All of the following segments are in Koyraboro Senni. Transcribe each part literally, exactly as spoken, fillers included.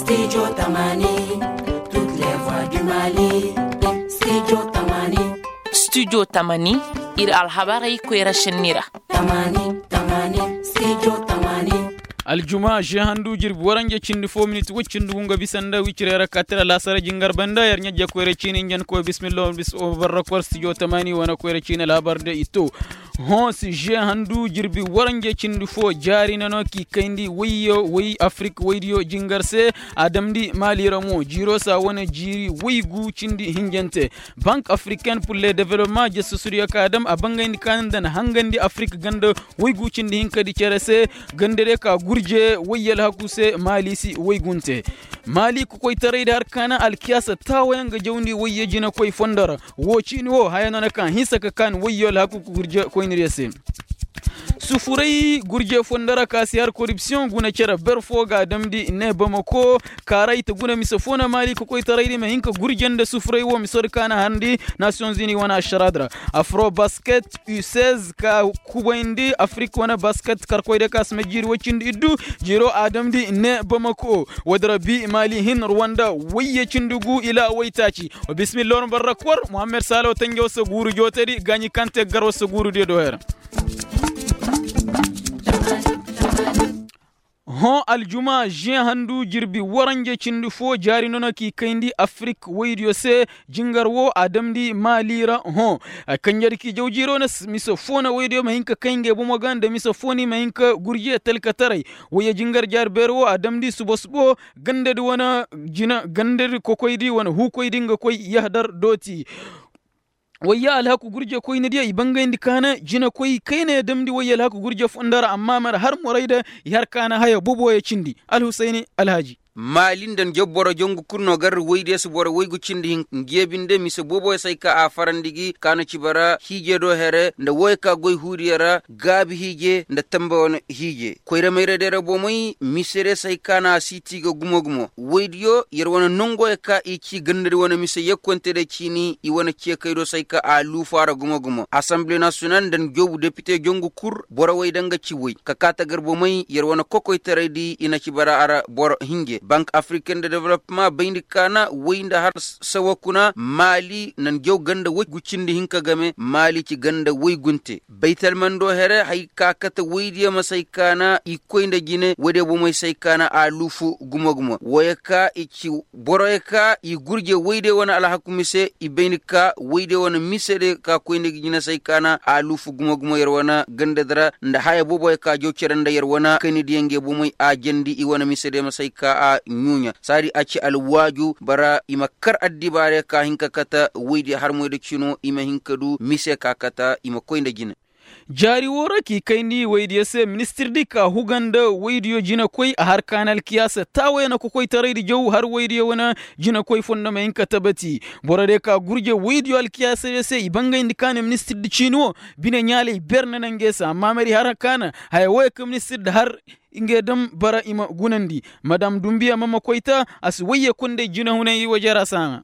Studio tamani, toutes les voix du mali. Studio tamani. Studio tamani, ir alhabarey koyra šenni ra. Tamani, tamani, studio tamani. Aljuma žehandu jirbi waranje cindi fo minit woy cindi gu nga bisa nda wicirey ra ka tira laasara jingar banda yer ɲajja koyra ciini njankoy bismillah barra kor studio tamani wane koyra ciini alhabar de i to. Hõ si žehandu jirbi waranje cindi fo jaari na no k'i kayndi wayyo way afirik waydiyo jingar se. A damndi maali ra mo jiiro saa wane jiiri waygu cindi hinjante. Bank africaine pour le development jesusudiyo ka a dam a bangayndi ka na nda na hangandi afirik ganda waygu cindi hinkadi cere se. Ganda de ka gurje wayye alhaku se maali si waygunte. Maali kokoytaraydi har ka na alkiyaasa taawayaŋ ga jawndi wayye jinakoy fondo ra. Wo ciini wo haya no na ka hinsa ka kaan wayyo alhaku gurje koyniriyo se. Sufuray gurje fondo ra ka si har koripsiyoŋ guna cere ber fo ga a damndi ne bamako. Kaara i ta guna mise fo na maali kokoytaraydi ma hin ka gurje nda sufuray wo mise wo di ka na harndi nasiyoŋ zini wane ašaraadi ra. Afrobasket u seize ka kubayndi afirik wane basket karkoydiyo ka si ma jiiri woy cindi iddu. Jiiro a damndi ne bamako. Woodi ra bi maali hin ruwanda wayye cindi gu ila waytaaci. Wa bismillah war barra kor muhammed saalo tanjaw se guuru jootedi gaaɲi kaŋ te gar war se guurudiyo do her. Hõ aljuma žehandu jirbi waranje cindi fo jaari no na k'i kayndi afirik waydiyo se. Jingar wo a damndi maali ra hõ. Kanjadi k'i jaw jiiro na mise fo na waydiyo ma hin ka kay ngey bomo ga nda mise fo ni ma hin ka gurje talkataray. Wayye jingar jaari beeri wo a damndi suba subo gandadi wane jina gandadi kokoydi wane huukoydi nga koy yahdar dooti. Wayya alhaku gurje koynidiyo i bangayndi kaana jinakoy kayna ya damndi wayya alhaku gurje fondo ra amma mar har moray da i har kaana haya boboyo cindi. Alhusayni alhaji. Maali nda njaw boro jongu kul no gar waydiyo si boro waygu cindi hin njeebinde mise boboyo se hay ka a farandi gi kaana ci bara hiije do here nda woyo ka goy huudiyo ra gaabi hiije nda tambe wane hiije koyra mayra day ra bomey mise day se hay ka na a siiti ga gumo gumo woydiyo yer wane nongoyo ka i ci gandadi wane mise yekkonte day ciini i wane ceekaydo se hay ka a luufu a ra gumo gumo asanble nasiyonal nda njoobu depite jongu kul borowey da nga ci woy ka kaa tagar bomey yer wane kokoytaraydi i na ci bara a ra boro hinje bank afriken de development bayndi kaana woy nda har sawa kuna maali na njaw ganda woy gu cindi hinka game maali ci ganda woy gunte baytalmando here hay ka kate woydiyo ma say kaana i koy nda jine woydiyo bomey say kaana a luufu gumo-gumo woyey ka i ci boroyey ka i gurje woydiyo wane alhaku mise i bay ni ka woydiyo wane mise de ka koy nda jine say kaana a luufu gumo-gumo yer wane gandadi ra nda haya booboyey ka jaw cere nda yer wane kaynidiyo ngey bomey a jandi i wane mise de ma say ka a ɲuuɲa saadi a ci alwaaju bara i ma kar addibaarey ka hin ka kate woydiyo harmoy da cino i ma hin ka du mise ka kate i ma koy nda jine jaari woo ra k'i kayndi woydiyo se ministirdi ka huga nda woydiyo jinakoy a har kaana alkiyaasa taawayaŋ na kokoytaraydi jaw har woydiyo wane jinakoy fondo ma hin ka tabati borodiyo ka gurje woydiyo alkiyaasadiyo se i bangayndi kaana ministirdi ciini woo bine ɲaalay ber na naŋ ngey se amma mari har kaana haya wooyo ka ministirdi har ngey daŋ bara i ma gunandi madam dumbiya mama koyta a si woyye kondey jinahunay wajara saaŋa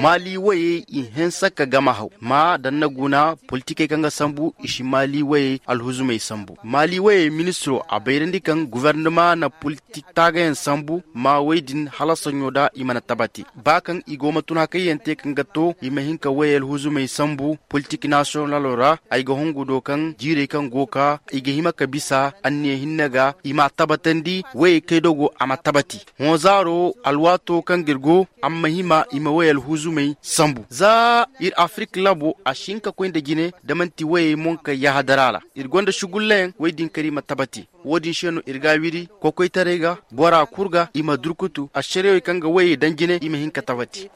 maali woyey i hinsa ka gama haw ma da ni na guna politikey kaŋ ga sambu i si maali woyey alhuzumey sambu maali woyey ministiro a bayrandi kaŋ gubernama na politik taagayaŋ sambu ma woy din hala saɲo da i mana tabati ba kaŋ i go ma tun hakayyaŋ te kaŋ ga to i ma hin ka woyey alhuzumey sambu politik nasiyonalo ra ay ga hungu do kaŋ jiirey kaŋ go ka i ga hima ka bisa anniya hinne ga i ma a tabatandi woyey kay dogo a ma tabati hõ zaaro alwaato kaŋ ga ir go a ma hima i ma woy alhuzumey sambu za ir afirik labo a si hin ka koy nda jine da man'ti woyey monkey yahadara ra ir gonda sugullayaŋ woy din kar i ma tabati woodin se no ir ga a wiri kokoytaray ga bora kul ga i ma durkutu ašariyawey kaŋ ga woyey daŋ jine i ma hin ka tabati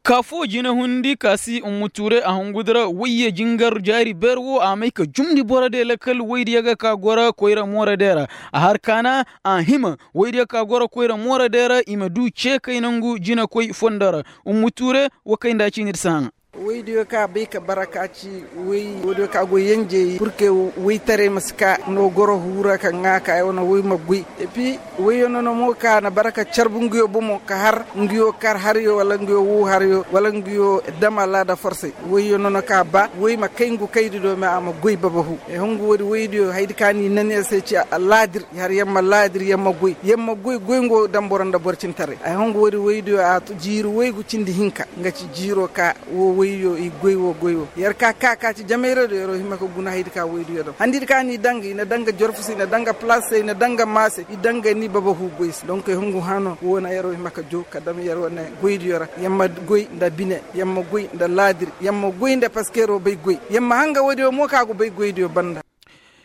kaafoo jinahundi ka si ummuture a hungu dira woyye jingar jaari beer wo a may ka jumndi borodiyo lakal woydiyo ga ka goro koyra moorodey ra a har kaana a hima woydiyo ka goro koyra moorodey ra i ma duu ceekay nangu jinakoy fondo ra ummuture wo kay nda a ciini ir si haŋa Woydiyo ka bay ka bara ka ci woydiyo ka goy yenjey purke woytaray ma si ka no goro huura ka ŋaa ka ay wane woy ma goy. Epi woyyo nono mo ka na bara ka carbu nguyo bomo ka har nguyo kar haryo wala nguyo wuu haryo wala nguyo dam alaada forsey. Woyyo nono ka ba woy ma kay ngu kaydi do me a ma goy babahu. Ay hungu woodi woydiyo haydi ka ni nan ya se ci alaadir i har yamma laadir yamma goy yamma goy goy ngo dam boro nda boro cintaray. Ay hungu woodi woydiyo a jiiri woygu cindi hinka nga ci jiiro ka wo woyyo i goy wo goy wo yer ka ka ka ci jamayra do yeroo hima ka guna haydi ka woydiyo dam handidi ka ni danga i na danga jorfu se i na danga palaas se i na danga maa se i danga ni babahu goy se donk ay hungu hano wo na yeroo hima ka jow ka dam yer wane goydiyo ra. Yamma goy nda bine yamma goy nda laadir yamma goy nda paskeeroo bay goy yamma hanga woodiyo mo ka go bay goydiyo banda.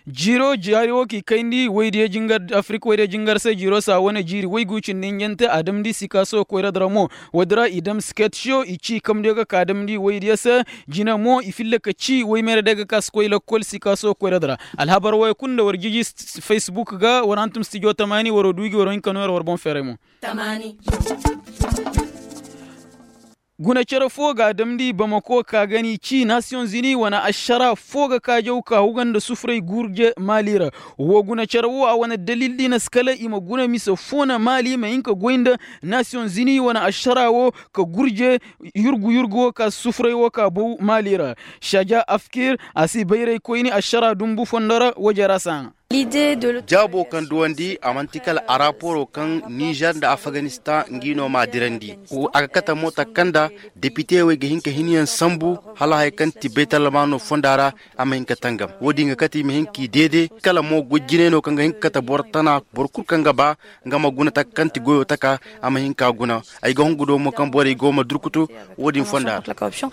Jiiro jaari wo k'i kayndi woydiyo jingar afirik woydiyo jingar se jiiro saa wane jiiri woygu cindi hinjante a damndi sikaaso koyra di ra mo. Woodi ra i dam sket siyo i cii kamdiyo ga ka damndi woydiyo se. Jina mo i filla ka cii woymeera day ga ka si koy lakkol sikaaso koyra di ra. Alhabar wooyo kul nda war jiji facebook ga war hantum stijo tamaani waroo duuji waroo hin ka nooyar war boŋ feeray mo. Guna cere foo ga a damndi bamako ka ga n'i cii nasiyoŋ zini wane ašaraa foo ga kaajaw ka huga nda sufuray gurje maali ra. Woo guna cere woo a wane dalil di na si kala i ma guna mise foo na maali ma hin ka goy nda nasiyoŋ zini wane ašaraa woo ka gurje yurgu yurgu woo ka sufuray woo ka bow maali ra. Saja afkir a si bayraykoyni ašaraa dunbu fondo ra woo jara si a ŋaa. Jaabo kaŋ duwandi a man'ti kala araporoo kaŋ nizer nda afganistaŋ ngi no m'a dirandi. A ga kate mo taka kaŋ nda depite wey ga hin ka hinyaŋ sambu hala haya kaŋ ti baytalmaano fonda ra. A ma hin ka tangam woodin ga kate i ma hin k'i deede kala mo goy jinay no kaŋ ga hin ka kate boro tana boro kul kaŋ ga ba nga ma guna taka kaŋ ti goyoo taka. A ma hin k'a guna ay ga hungu do mo kaŋ borey go ma durkutu woodin fonda ra.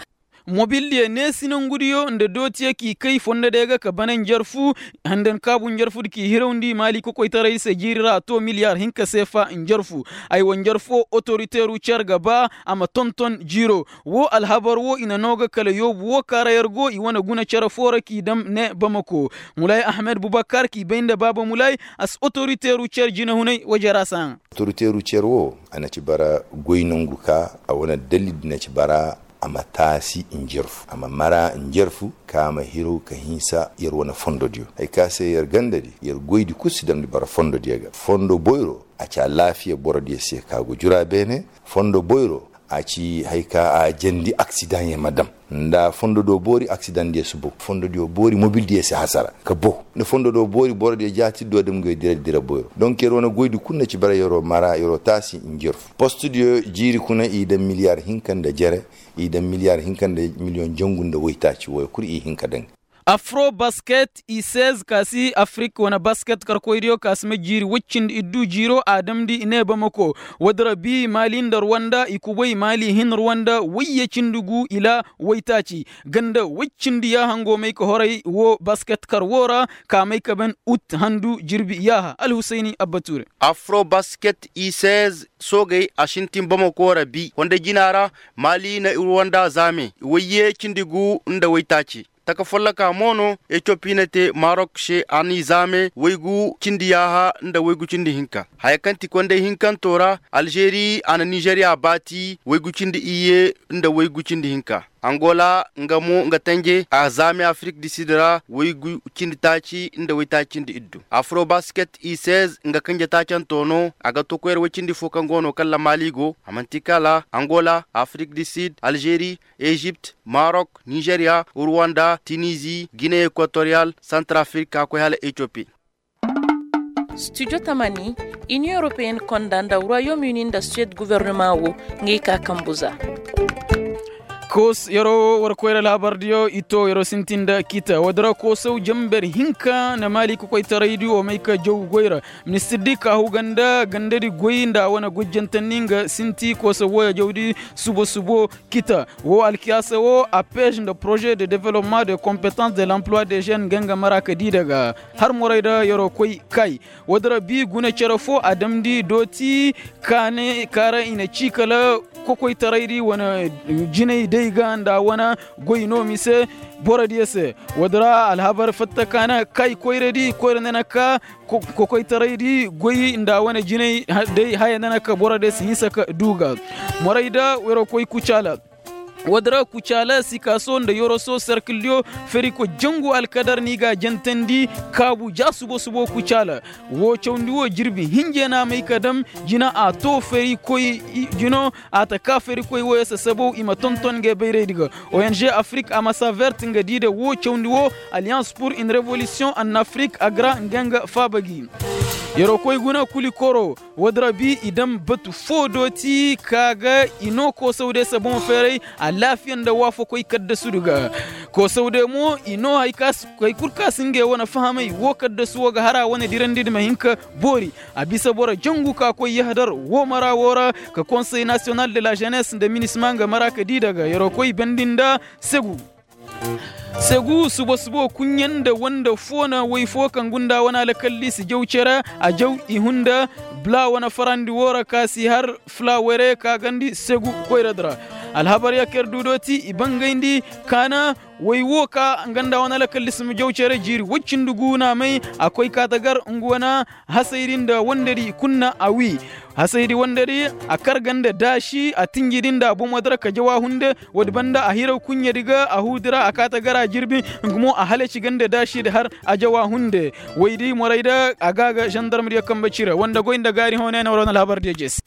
Mobildiyo neesinangudiyo nda dootiyo k'i kay fondodiyo ga ka bana njarfu. Handankaabu njarfudi k'i hirawndi maali kokoytaray se jiiri ra a too miliyar hinka seefa njarfu. Aywa njarfo otoriteeru cer ga ba a ma tonton jiiro. Woo alhabar woo i na noo ga kala yoobu woo ka ra yer go i wane guna cere foo ra k'i dam ne bamako. Mulay ahmed bubakar k'i bay nda baaba mulay. A si otoriteeru cer jinahunay woo jara si a ŋaa. Otoriteeru cer woo a na ci bara goy nongu ka a wane dalil di na ci bara. A ma taasi njarfu a ma mara njarfu ka a ma hiraw ka hinsa yer wane fondodiyo hari ka se yer gandadi yer goydi kul si damndi bara fondodiyo ga fondo boyro. A ci alaafiya borodiyo se ka go jura beene. Fondo boyro a ci hari ka a jandi aksidaŋ yer ma dam nda fondo do boori aksidaŋ diyo si bow fondo diyo boori mobil diyo si hasara ka bow. Nda fondo do boori borodiyo jaati do dam goy dira dira boyro donk yer wane goydi kul na ci bara yeroo mara yeroo taasi njarfu post diyo jiiri kuna i daŋ miliyar hinka nda jere. I daŋ miliyar hinka nda miliyoŋ jangu nda waytaaci wooyo kul i hin ka daŋ. Afro basket i seize ka si afirik wane basket karkoydiyo ka si ma jiiri woy cindi iddu jiiro a damndi i ne bamako. Woodi ra bi maali nda ruwanda i kubay maali hin ruwanda woyye cindi gu ila waytaaci. Ganda woy cindi yaaha ngo may ka horay woo basket kar woo ra ka may ka ban ut handu jirbi yaaha alhusayni abba tuure. Afro basket i seize soogey a sintin bamako ra bi fonda jina ra. Maali na ruwanda zaame woyye cindi gu nda waytaaci. Taka folloka mo no etiyopi na te marok se a n'i zaame waygu cindi yaaha nda waygu cindi hinka. Haya kaŋ ti konday hinkanto ra alžeri a na nizeriya baati waygu cindi iyye nda waygu cindi hinka. Angola nga mo nga tanje a zaame afirik di sid ra waygu cindi taaci nda waytaaci cindi iddu. Afrobasket i seize nga kanje taacanto no a ga to koyra way cindi fo kaŋ go no kala maali go a man'ti kala angola afirik di sid alžeri ezipt marok nizeriya ruwanda tinizi gine ekwatoriyal santarafirika koy hala etiyopi. Studio tamani, iniyoŋ europeyenne konda nda royom uni nda suwed gobornoma wo, ngey ka kambu za. Koos yeroo war koyra laabardiyo i to yeroo sintin nda kita woodi ra koosaw jamber hinka na maali kokoytaraydi wo may ka jaw goy ra. Ministirdi ka huga nda gandadi goy nda a wane gojjantandi nga sinti koosa wooya jawdi subo subo. Kita woo alkiyaasa woo a pez nda poroze de development de kompetans de l'emploi de jeune nga nga mara ka dii daga har morey da yeroo koy kay. Woodi ra bii guna cere foo a damndi dooti kaane ka ra i na cii kala kokoytaraydi wane jinay day ga nda a wane goy no mise borodiyo se. Woodi ra alhabar fatta ka na kay koyradi koyra nda na ka kokoytaraydi goy nda a wane jinay day haya nda na ka borodiyo se hinsa ka duu ga. Morey da yeroo koy kucaala. Woodi ra kucaala sikaso nda yoroso serkildiyo, ferikoy jangu alkadar no i g'a jantandi kaabu ja subo-subo kucaala. Woo cawndi woo jirbi hinje no a may ka dam jina a too ferikoy jino a ta kaa ferikoy wooyo se sabow i ma tonton ngey bayraydi ga. Ong afrik a masa vert nga di nda woo cawndi woo, alliance pour une révolution en afrik agra nga nga faaba gi. Yeroo koy guna kuli koro. Woodi ra bi i daŋ batu foo dooti ka ga i noo koosawde se boŋ feeray alaafiya nda waafakoy kaddasudu ga. Koosawde mo i noo hari kul ka si ngey wane fahamay woo kaddasu woo ga har a wane dirandi nda ma hin ka boori. A bisa boro jangu ka koy yahadar woo mara woo ra, ka konsey nasiyonal de la jenes nda minisma nga mara ka dii daga yeroo koy bandi nda segu. Segu suba-suba kuɲɲe nda wande foo na woy foo kaŋ gunda wane alkalli si jaw cere a jaw i hunda. Bula wane farandi woo ra ka si har fula were ka gandi segu koyradi ra. Alhabar ya kaŋ ir du dooti i bangayndi kaana woy woo ka nga nda wane alkalli si ma jaw cere jiiri woy cindi gu na may a koy ka ta gar nga wane hasaydi nda wandedi i kulu na a wii. Hasaydi wandedi a kar ga nda daasi a tinjidi nda a bomo di ra ka jaw a hunde. Woodi banda a hiraw kuɲɲedi ga a huudi ra a kaa ta gar a jirbi. Nga mo a halaci ga nda daasidi har a jaw a hunde. Woydi morayda a ga a ga zandarmediyo kambe cire wande goy nda gaari hoonay na war wane alhabardiyo jeesi.